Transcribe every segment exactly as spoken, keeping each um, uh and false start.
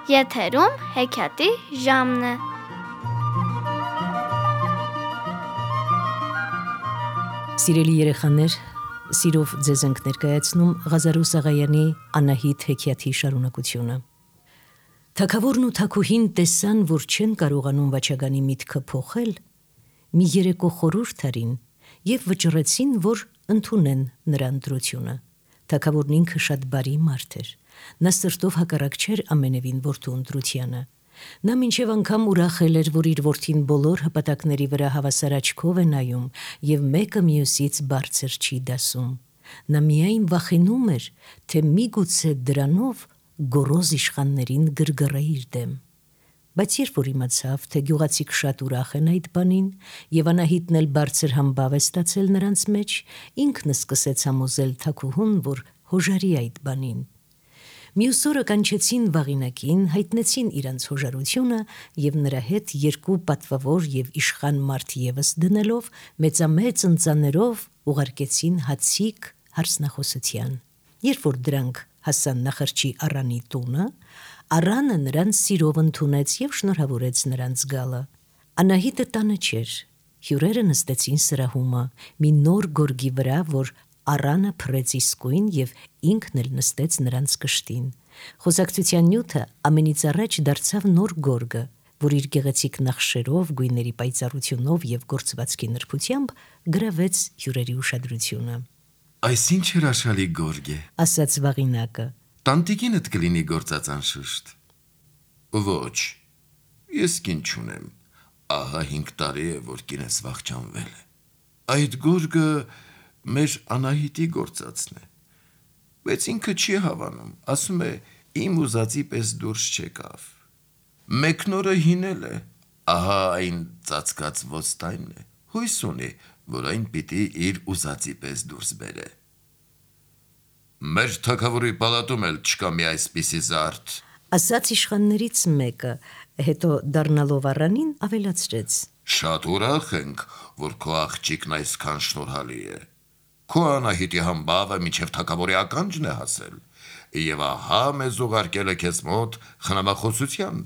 Եթերում հեքիաթի ժամն է։ Սիրելի երեխաներ, սիրով ձեզ ենք ներկայացնում Ղազարու Սաղայանի Անահիտ հեքիաթի շարունակությունը։ Թագավորն ու թագուհին տեսան, որ չեն կարողանում վաճառանի միտքը փոխել, մի երեկո խորհուրդ արին և վճռեցին, որ ընդունեն նրա ընտրությունը։ Թագավորն ինքը շատ բարի մարդ էր։ Նա սրտով հակառակ չէր ամենևին որդու ընտրությանը։ Նա մինչև անգամ ուրախել էր, որ իր որդին բոլոր հպատակների վրա հավասար աչքով է նայում և մեկը մյուսից բարձր չի դասում։ Նա միայն վախենում էր, թե միգուցե դրանով գոռոզ իշխաններին գրգռե իր դեմ։ Բայց երբ որ իմացավ, թե գյուղացիք շատ ուրախ են այդ բանին, և Անահիտն էլ բարձր համբավ է ստացել նրանց մեջ, ինքն սկսեց համոզել թագուհուն, որ հոժարի այդ բանին։ Մյուս օրը կանչեցին Վաղինակին, հայտնեցին իրանց հոժարությունը և նրա հետ երկու պատվավոր և իշխան մարդ ևս դնելով, մեծամեծ ընծաներով ուղարկեցին հացիկ հարսնախոսության։ Երբ որ դրանք հասան նախրջի Առանի տունը, Առանը նրանց սիրով ընդունեց և շնորհավորեց նրանց գալը։ Անահիտը տանը չէր։ Հյուրերը նստեցին սրահումը, մի նոր գորգի վրա, որ Առանը փռեց իսկույն և ինքն էլ նստեց նրանց կշտին։ Խոսակցության նյութը ամենից առաջ դարձավ նոր գորգը, որ իր գեղեցիկ նախշերով, գույների պայծառությունով և գործվածքի նրբությամբ գրավեց հյուրերի ուշադրությունը։ Այս ինչ հրաշալի գորգ է, ասաց Վաղինակը։ Տանտիկինդ կլինի գործած անշուշտ։ Ոչ, ես կին չունեմ, ահա հինգ տարի է, որ կինս վախճանվել է։ Այդ գորգը մեր Անահիտի գործածն է, բայց ինքը չի հավանում, ասում է իմ ուզածի պես դուրս չեկավ։ Մեկնորը հինել է, ահա այն ծածկած ոստայնն է, հույս ունի, որ այն պիտի իր ուզածի պես դուրս բերե։ Մեր թագավորի պալատում էլ չկա մի այսպիսի զարդ, ասաց իշխաններից մեկը, հետո դառնալով Առանին ավելացրեց. Շատ ուրախ ենք, որ քո աղջիկն այսքան շնորհալի է։ Քո Անահիտի համբավը մինչև թագավորի ականջն է հասել, և ահա մեզ ուղարկել է քեզ մոտ խնամախոսության։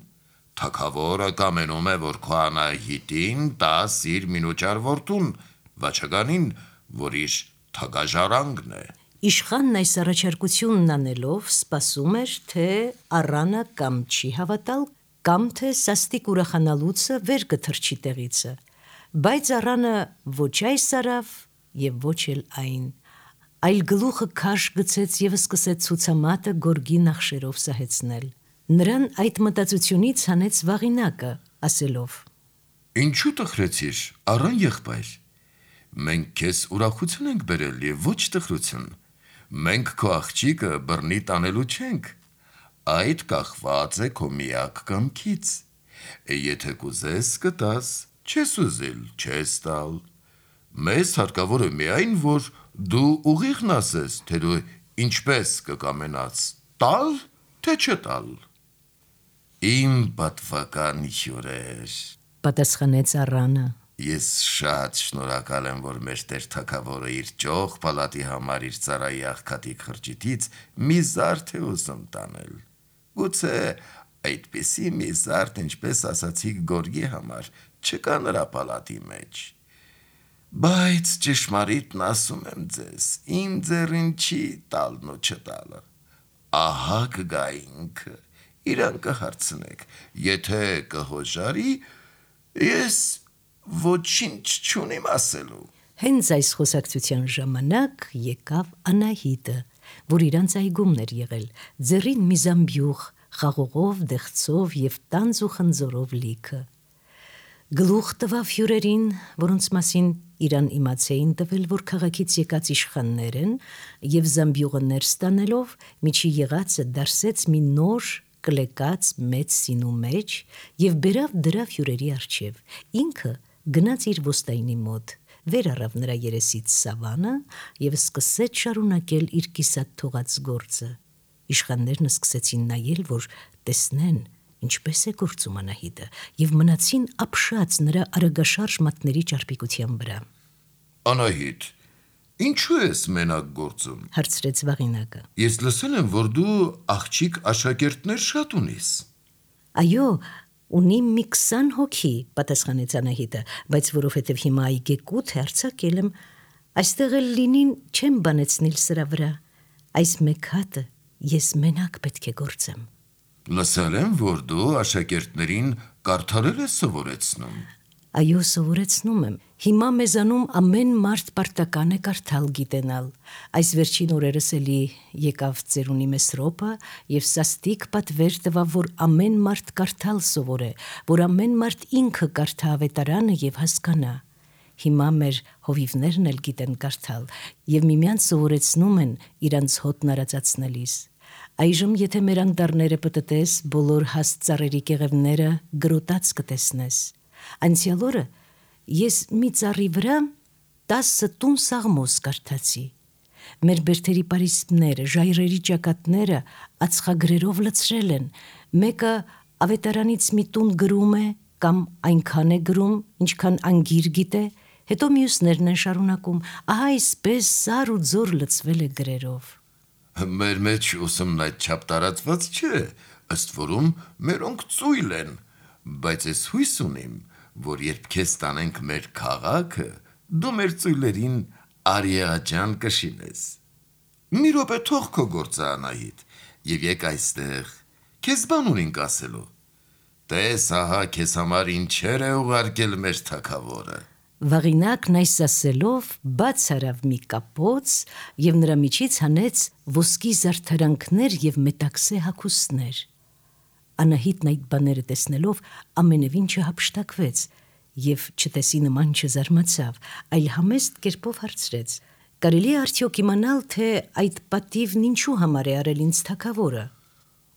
Թագավորը կամենում է, որ քո Անահիտին տաս իր մինուճար որդուն, Վաճառանին, որ իր թագաժառանգն է։ Իշխանն այս առաջարկությունն անելով սպասում էր, թե Առանը կամ չի հավատալ, կամ թե սաստիկ ուրախանալուցը վեր կթռչի տեղիցը, բայց Առանը ոչ այս արավ և ոչ էլ այն, այլ գլուխը քաշ գցեց և սկսեց ցուցամատը գորգի նախշերով սահեցնել։ Նրան այդ մտածությունից հանեց Վաղինակը, ասելով. Ինչու տխրեցիր, Առան եղբայր, մենք քեզ ուրախություն ենք բերել և ոչ տխրություն։ Մենք քո աղջիկը բռնի տանելու չենք, այդ կախված է քո միակ կամքից։ Եթե կուզես կտաս, չես ուզել չես տալ։ Մեզ հարկավոր է միայն, որ դու ուղիղն ասես, թե դու ինչպես կկամենաս, տալ, թե չտալ։ Իմ պատվական հյուրեր, պատասխանեց Առանը, ես շատ շնորհակալ եմ, որ մեր տեր թագավորը իր ճոխ պալատի համար իր ծառայի աղքատի խրճիթից մի զարդ է ուզում տանել։ Գուցե այդպիսի մի զարդ, ինչպես ասացիք գորգի համար, չկա նրա պալատի մեջ։ Բայց ճշմարիտն ասում եմ ձեզ, իմ ձեռին չի տալն ու չտալը։ Ահա կգա ինքը, իրան կհարցնեք, եթե կհոժարի, ես ոչինչ չունիմ ասելու։ Հենց այս խոսակցության ժամանակ եկավ Անահիտը, որ իրանց այգումն էր եղել, ձեռին մի զամբյուղ, խաղողով, դեղցով և տանձ ու խնձորով լիքը։ Գլուխ տվավ հյուրերին, որոնց մասին իրան իմացեին տվել, որ քաղաքից եկած իշխաններ են, և զամբյուղը ներս տանելով միջի եղածը դարսեց մի նոր կլեկած մեծ սինու մեջ և բերավ դրավ հյուրերի առջև։ Ինքը գնաց իր ոստայնի մոտ, վեր առավ նրա երեսից սավանը և սկսեց շարունակել իր կիսատ թողած գործը։ Իշխաններն սկսեցին նայել, որ տեսնեն ինչպես է գործում Անահիտը, և մնացին ապշած նրա արագաշարժ մատների ճարպիկության վրա։ Անահիտ, ինչու ես մենակ գործում, հարցրեց Վաղինակը։ Ես լսել եմ, որ դու աղջիկ աշակերտներ շատ ունիս։ Այո, ունի մի քսան հոգի, պատասխանեց Անահիտը, բայց որովհետև հիմա այգեկութ է արձակել եմ, այստեղ էլ լինին չեմ բանեցնիլ սրա վրա, այս մեկ հատը ես մենակ պետք է գործեմ։ Լսել եմ, որ դու աշակերտներին կարդալել ես սովորեցնում։ Այո, սովորեցնում եմ։ Հիմա մեզանում ամեն մարդ պարտական է կարդալ գիտենալ։ Այս վերջին օրերս էլի եկավ ծերունի Մեսրոպը եւ սաստիկ պատվեր տվավ, որ ամեն մարդ կարդալ սովորե, որ ամեն մարդ ինքը կարդա ավետարանը եւ հասկանա։ Հիմա մեր հովիվներն էլ գիտեն կարդալ եւ միմյանց սովորեցնում են իրանց հոտն արածացնելիս։ Այժմ եթե մեր անդառները պտտես, բոլոր հաստ ծառերի կեղևները գրոտած կտեսնես։ Անցյալ օրը ես մի ծառի վրա տասը տուն սաղմոս կարդացի։ Մեր բերդերի պարիսպները, ժայռերի ճակատները ածխագրերով լցրել են։ Մեկը ավետարանից մի տուն գրում է կամ այնքան է գրում, ինչքան անգիր գիտե, հետո մյուսներն են շարունակում, ահա այսպես սար ու ձոր լցվել է գրերով։ Մեր մեջ ուսումն այդ չափ տարածված չէ, ըստ որում մերոնք ծույլ են, բայց ես հույս ունիմ, որ երբ քեզ տանենք մեր քաղաքը, դու մեր ծույլերին արիաջան կշինես։ Մի րոպե թող քո գործը, Անահիտ, եւ եկ այստեղ, քեզ բան ունենք ասելու։ Տես, ահա քեզ համար ինչեր է ուղարկել մեր թագավորը։ Վաղինակն այս ասելով բաց արավ մի կապոց եւ նրա միջից հանեց ոսկի զարդարանքներ եւ մետաքսե հագուստներ։ Անահիտն այդ բաները տեսնելով ամենևին չհափշտակվեց եւ չտեսի նման չզարմացավ, այլ համեստ կերպով հարցրեց. «Կարելի է արդյոք իմանալ, թե այդ պատիվն ինչու համար է արել ինձ թագավորը»։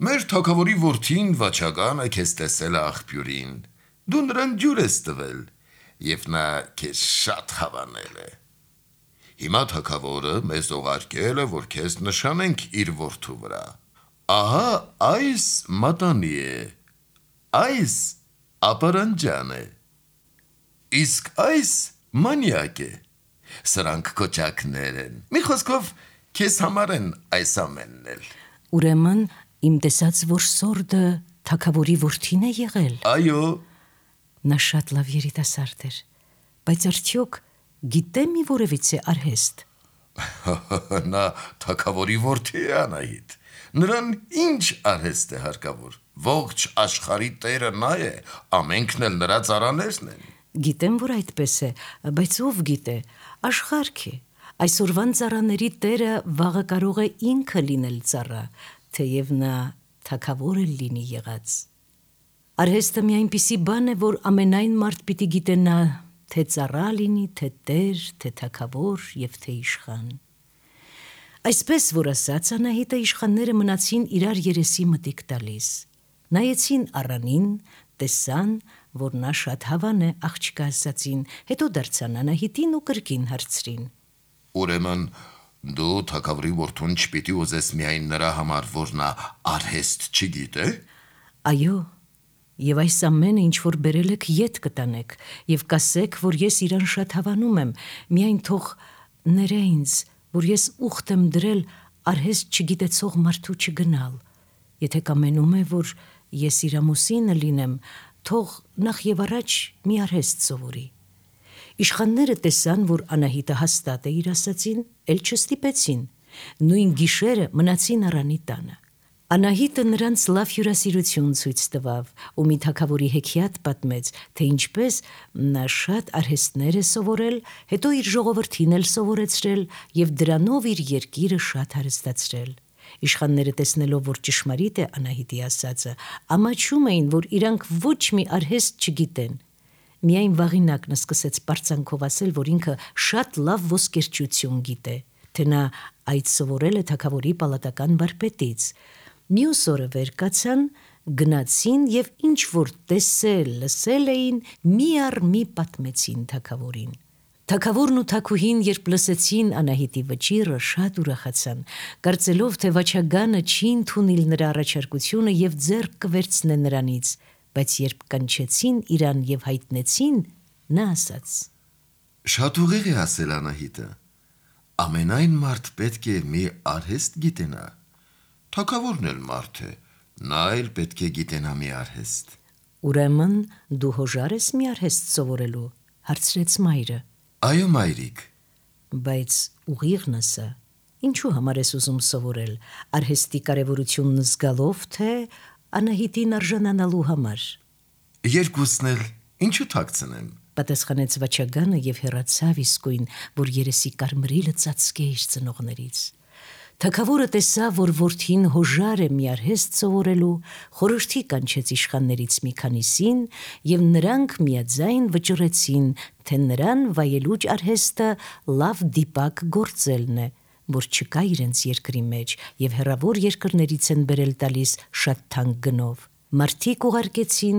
Մեր թագավորի որդին վաճականը քեզ տեսել է աղբյուրին, դու նրան ջուր ես տվել եւ նա քեզ շատ հավանել է։ Հիմա թագավորը մեզ ուղարկել է, որ քեզ նշանենք իր որդու վրա։ Ահա այս մատանի է, այս ապարանջան է, իսկ այս մանյակ է, սրանք կոճակներ են, մի խոսքով քեզ համար են այս ամենն էլ։ Ուրեմն իմ տեսած որ սորդը թագավորի որդին է եղել։ Այո։ Նա շատ լավ երիտասարդ էր, բայց արդյոք գիտե մի որևիցե արհեստ։ Նա թագավորի որդի է, Անահիտ, նրան ինչ արհեստ է հարկավոր, ողջ աշխարհի տերը նա է, ամենքն էլ նրա ծառաներն են։ Գիտեմ, որ այդպես է, բայց ով գիտե, աշխարհք է, այսօրվան ծառաների տերը վաղը կարող է ինքը լինել ծառա, թեև նա թագավոր էլ լինի եղած։ Արհեստը մի այնպիսի բան է, որ ամենայն մարդ պիտի գիտենա, թե ծառա լինի, թե տեր, թե թագավոր եւ թե իշխան։ Այսպես որ ասած, Անահիտը իշխանները մնացին իրար երեսի մտիկ տալիս։ Նայեցին առանին, տեսան, որ նա շատ հավան է աղջկա ասացին, հետո դարձան Անահիտին ու կրկին հարցրին. Ուրեմն դու թագավորի որդուն չպիտի ուզես միայն նրա համար, որ նա արհեստ չգիտե։ Այո, եւ այս ամենը ինչ որ բերել եք ետ կտանեք եւ կասեք, որ ես իրան շատ հավանում եմ, միայն թող ները ինձ, որ ես ուխտ եմ դրել արհեստ չգիտեցող մարդու չգնալ։ Եթե կամենում է, որ ես իր ամուսինը լինեմ, թող նախ եւ առաջ մի արհեստ սովորի։ Իշխանները տեսան, որ Անահիտը հաստատ է իր ասացին, էլ չստիպեցին։ Նույն գիշերը մնացին առանի տանը։ Անահիտը նրանց լավ հյուրասիրություն ցույց տվավ ու մի թագավորի հեքիաթ պատմեց, թե ինչպես նա շատ արհեստներ է սովորել, հետո իր ժողովրդին էլ սովորեցրել եւ դրանով իր երկիրը շատ հարստացրել։ Իշխանները տեսնելով, որ ճշմարիտ է Անահիտի ասածը, ամաչում էին, որ իրանք ոչ մի արհեստ չգիտեն։ Միայն Վաղինակն սկսեց պարծանքով ասել, որ ինքը շատ լավ ոսկերչություն գիտե, թե նա այդ սովորել է թագավորի պալատական վարպետից։ Մյուս օրը վեր կացան, գնացին եւ ինչ որ տեսել, լսել էին, մի առ մի պատմեցին թագավորին։ Թագավորն ու թագուհին, երբ լսեցին Անահիտի վճիռը, շատ ուրախացան, կարծելով, թե վաճականը չի ընդունիլ նրա առաջարկությունը եւ ձեռք կվերցնե նրանից, բայց երբ կանչեցին իրան եւ հայտնեցին, նա ասաց. Շատ ուղիղ է ասել Անահիտը, ամենայն մարդ պետք է մի արհեստ գիտենա։ Թագավորն էլ մարդ է, Նա էլ պետք է գիտենա մի արհեստ։ Ուրեմն դու հոժար ես մի արհեստ սովորելու, հարցրեց մայրը։ Այո, մայրիկ։ Բայց ուղիղն ասա, ինչու համար ես ուզում սովորել, արհեստի կարևորությունն զգալով, թե Անահիտին արժանանալու համար։ Երկուսն էլ, ինչու թաքցնեմ։ Պատասխանեց Վաչագանը եւ հեռացավ իսկույն, որ երեսի կարմրիլը ծածկե իր ծնողներից։ Թագավորը տեսավ, որ որդին հոժար է մի արհեստ սովորելու, խորհրդի կանչեց իշխաններից մի քանիսին եւ նրանք միաձայն վճռեցին, թե նրան վայելուչ արհեստը լավ դիպակ գործելն է, որ չկա իրենց երկրի մեջ եւ հեռավոր երկրներից են բերել տալիս շատ թանկ գնով։ Մարդիկ ուղարկեցին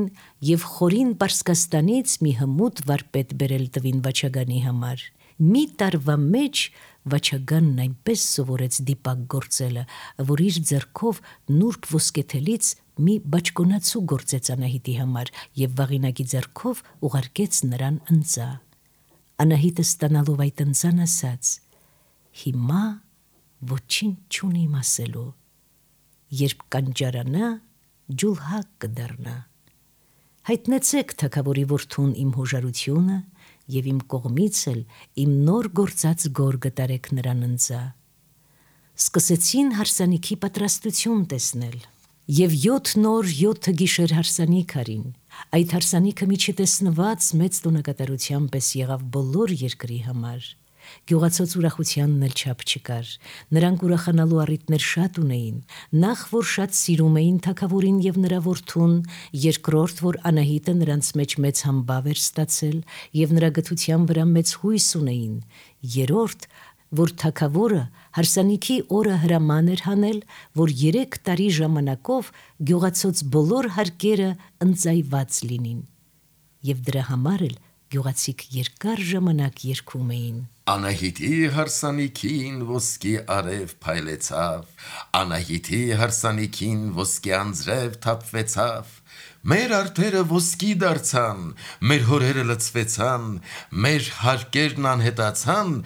եւ խորին Պարսկաստանից մի հմուտ վարպետ բերել տվին Վաչագանի համար։ Մի տարվա մեջ Վաչագանն այնպես սովորեց դիպակ գործելը, որ իր ձեռքով նուրբ ոսկեթելից մի բաճկոնացու գործեց Անահիտի համար եւ վաղինակի ձեռքով ուղարկեց նրան ընձա։ Անահիտը ստանալով այդ ընձան ասաց. «Հիմա ոչինչ չունիմ ասելու, երբ կանջարանա, ջուլհակ կդառնա։ Հայտնեցեք թագավորի որդուն իմ հոժարությունը եւ իմ կողմից էլ իմ նոր գործած գորգը տարեք նրան ընձա»։ Սկսեցին հարսանիքի պատրաստություն տեսնել եւ յոթ նոր յոթ գիշեր հարսանիք արին։ Այդ հարսանիքը մի չտեսնված մեծ տոնակատարության պես եղավ բոլոր երկրի համար։ Գյուղացոց ուրախությանն էլ չափ չկար։ Նրանք ուրախանալու առիթներ շատ ունեին։ Նախ որ շատ սիրում էին թագավորին եւ նրա որդուն, երկրորդ որ Անահիտը նրանց մեջ մեծ համբավ էր ստացել եւ նրա գթության վրա մեծ հույս ունեին, երրորդ որ թագավորը հարսանիքի օրը հրաման էր հանել, որ երեք տարի ժամանակով գյուղացոց բոլոր հարկերը ընձայված լինին։ Եվ դրա համար էլ գյուղացիք երկար ժամանակ երգում էին. Անահիտի հարսանիքին ոսկի արև փայլեցավ, Անահիտի հարսանիքին ոսկի անձրև թափվեցավ, մեր արտերը ոսկի դարձան, մեր հորերը լցվեցան, մեր հարկերն անհետացան,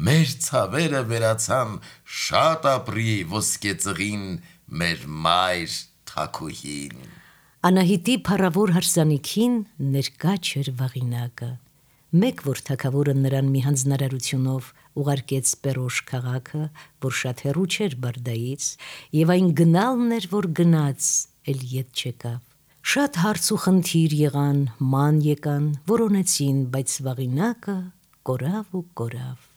մեր ցավերը վերացան, շատ ապրի ոսկե ծղին, մեր մայր թագուհին։ Անահիտի փառավոր հարսանիքին ներկա չէր վաղինակը։ Մեկ որ թագավորը նրան մի հանձնարարությունով ուղարկեց Պերոշ քաղաքը, որ շատ հեռու չէր Բարդայից, եւ այն գնալն էր, որ գնաց, էլ ետ չեկավ։ Շատ հարց ու խնդիր եղան, ման եկան, որոնեցին, բայց վաղինակը կորավ ու կորավ։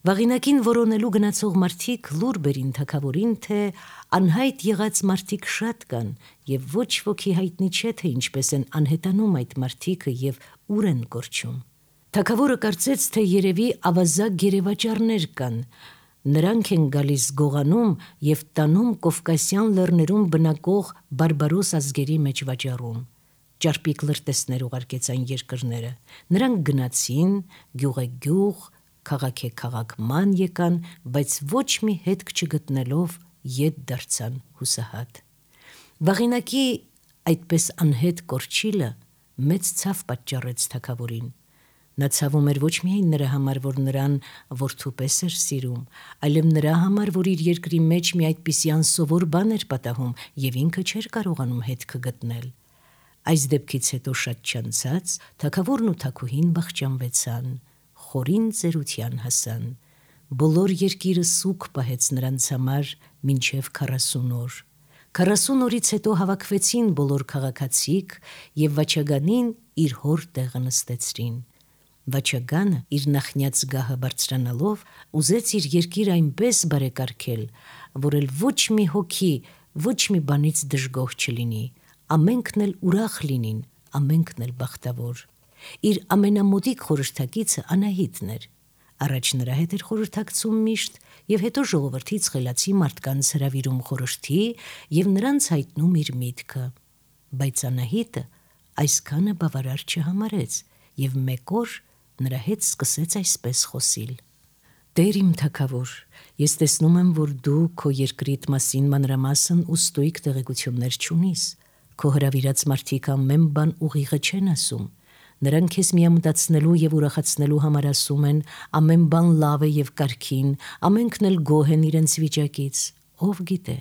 Վաղինակին որոնելու գնացող մարդիկ լուր բերին թագավորին, թե անհայտ եղած մարդիկ շատ կան եւ ոչ ոքի հայտնի չէ, թե ինչպես են անհետանում այդ մարդիկը եւ ուր են կորչում։ Թագավորը կարծեց, թե երևի ավազակ գերեվաճառներ կան։ Նրանք են գալիս գողանում եւ տանում Կովկասյան լեռներում բնակող բարբարոս ազգերի մեջ վաճառում։ Ճարպիկ լրտեսներ ուղարկեց այն երկրները։ Նրանք գնացին գյուղեգյուղ, քաղաք է քաղաքման եկան, բայց ոչ մի հետք չգտնելով ետ դարձան հուսահատ։ Վաղինակի այդպես անհետ կորչիլը մեծ ցավ պատճառեց թագավորին։ Նա ցավում էր ոչ միայն նրա համար, որ նրան որդուպես էր սիրում, այլև նրա համար, որ իր երկրի մեջ մի այդպիսի անսովոր բան էր պատահում եւ ինքը չէր կարողանում հետքը գտնել։ Այս դեպքից հետո շատ չանցած թագավորն ու թագուհին բախճանվեցան, խորին ծերության հասան։ Բոլոր երկիրը սուգ պահեց նրանց համար մինչև քառասուն օր։ Քառասուն օրից հետո հավաքվեցին բոլոր քաղաքացիք եւ Վաչագանին իր հոր տեղը նստեցրին։ Վաչագանը իր նախնյաց գահը բարձրանալով ուզեց իր երկիրը այնպես բարեկարգել, որ էլ ոչ մի հոգի, ոչ մի բանից դժգոհ չլինի, ամենքն էլ ուրախ լինին, ամենքն էլ բախտավոր։ Իր ամենամոտիկ խորհրդակիցը Անահիտն էր։ Առաջ նրա հետ էր խորհրդակցում միշտ եւ հետո ժողովրդից խելացի մարդկանց հրավիրում խորհրդի եւ նրանց հայտնում իր միտքը։ Բայց Անահիտը այսքանը բավարար չհամարեց եւ մեկ օր նրա հետ սկսեց այսպես խոսիլ. «Տեր իմ թագավոր, ես տեսնում եմ, որ դու քո երկրիդ մասին մանրամասն ու ստույգ տեղեկություններ չունիս։ Քո հրավիրած մարդիկ ամեն բան ուղիղը չեն ասում։ Նրանք քեզ միամտացնելու եւ ուրախացնելու համար ասում են, ամեն բան լավ է եւ կարգին, ամենքն էլ գոհ են իրենց վիճակից։ Ով գիտե,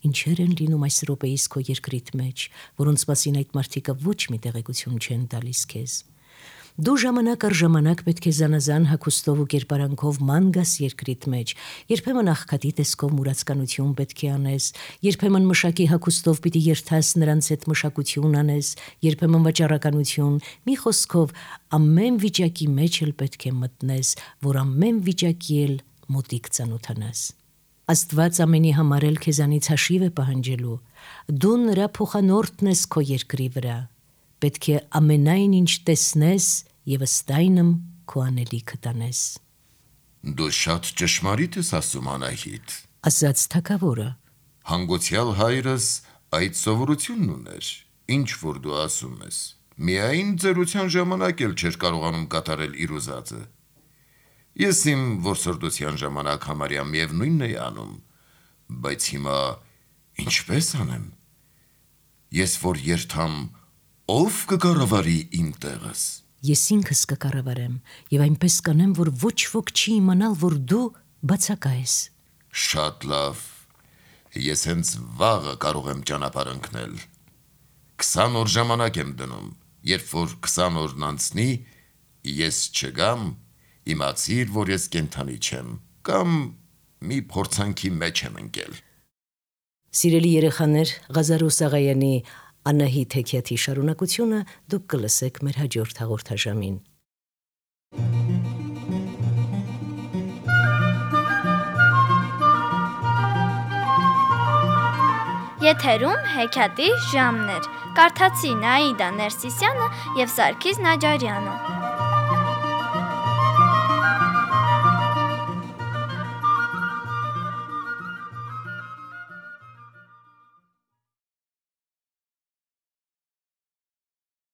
ինչեր են լինում այս րոպեիս քո երկրիդ մեջ, որոնց մասին այդ մարդիկը ոչ մի տեղեկություն չեն տալիս քեզ։ Դու ժամանակ առ ժամանակ պետք է զանազան հագուստով ու կերպարանքով ման գաս երկրիդ մեջ, երբեմն աղքատի տեսքով մուրացկանություն պետք է անես, երբեմն մշակի հագուստով պիտի երթաս նրանց հետ մշակություն անես, երբեմն վաճառականություն, մի խոսքով ամեն վիճակի մեջ էլ պետք է մտնես, որ ամեն վիճակի էլ մոտիկ ծանոթանաս։ Աստված ամենի համար էլ քեզանից հաշիվ է պահանջելու, դու նրա փոխանորդն ես քո երկրի վրա, պետք է ամենայն ինչ տեսնես և ըստ այնմ քո անելիքը տանես։ Դու շատ ճշմարիտ ես ասում, Անահիտ, ասաց թագավորը։ Հանգուցյալ հայրս այդ սովորությունն ուներ, ինչ որ դու ասում ես, միայն ծերության ժամանակ էլ չէր կարողանում կատարել իր ուզածը։ Ես իմ որսորդության ժամանակ համարյա միևնույնն էի անում, բայց հիմա ինչպես անեմ։ Ես որ երթամ, ով կկառավարի իմ տեղս։ Ես ինքս կկառավարեմ և այնպես կանեմ, որ ոչ ոք չի իմանալ, որ դու բացակա ես։ Շատ լավ, ես հենց վաղը կարող եմ ճանապարհ ընկնել։ Քսան օր ժամանակ եմ դնում, երբ որ քսան օրն անցնի, ես չգամ, իմացիր, որ ես կենդանի չեմ, կամ մի փորձանքի մեջ եմ ընկել։ Սիրելի երեխաներ, Ղազարոս Աղայանի Անահիտ հեքիաթի շարունակությունը դուք կլսեք մեր հաջորդ հաղորդաշամին։ Եթերում հեքիաթի ժամն էր։ Կարդացին Աիդա Ներսիսյանը և Սարգիս Նաջարյանը։